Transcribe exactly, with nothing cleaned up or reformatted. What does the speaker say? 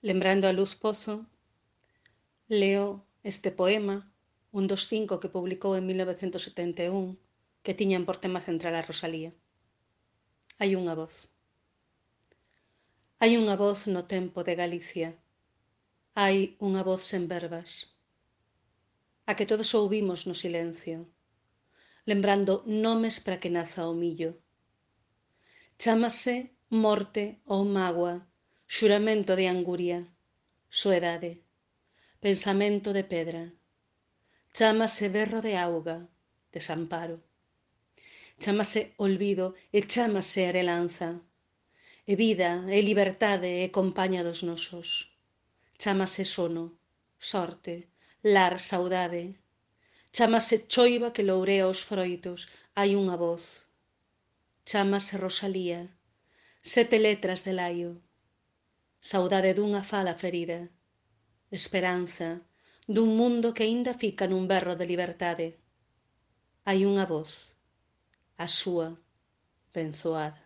Lembrando a Luz Pozo, leo este poema, un dos cinco que publicou en mil novecentos setenta e un, que tiñan por tema central a Rosalía. Hai unha voz. Hai unha voz no tempo de Galicia. Hai unha voz sen verbas, a que todos ouvimos no silencio, lembrando nomes para que naza o millo. Chámase morte ou mágoa, xuramento de anguria, soedade, pensamento de pedra. Chámase berro de auga, desamparo. Chámase olvido e chámase arelanza. E vida, e libertade, e compaña dos nosos. Chámase sono, sorte, lar, saudade. Chámase choiva que lourea os froitos, hai unha voz. Chámase Rosalía, sete letras de laio. Saudade dunha fala ferida. Esperanza dun mundo que aínda fica nun berro de liberdade. Hai unha voz, a súa, benzoada.